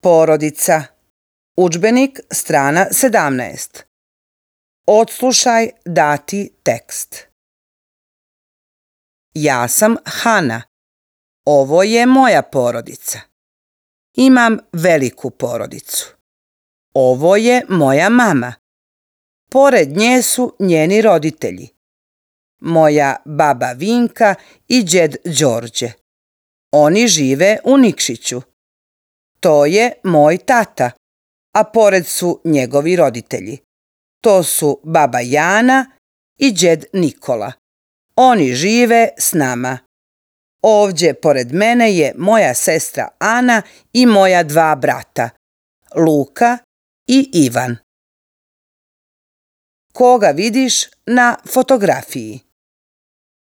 Porodica. Udžbenik, strana 17. Odslušaj dati tekst. Ja sam Hana. Ovo je moja porodica. Imam veliku porodicu. Ovo je moja mama. Pored nje su njeni roditelji. Moja baba Vinka i džed Đorđe. Oni žive u Nikšiću. To je moj tata, a pored su njegovi roditelji. To su baba Jana i džed Nikola. Oni žive s nama. Ovdje pored mene je moja sestra Ana i moja dva brata, Luka i Ivan. Koga vidiš na fotografiji?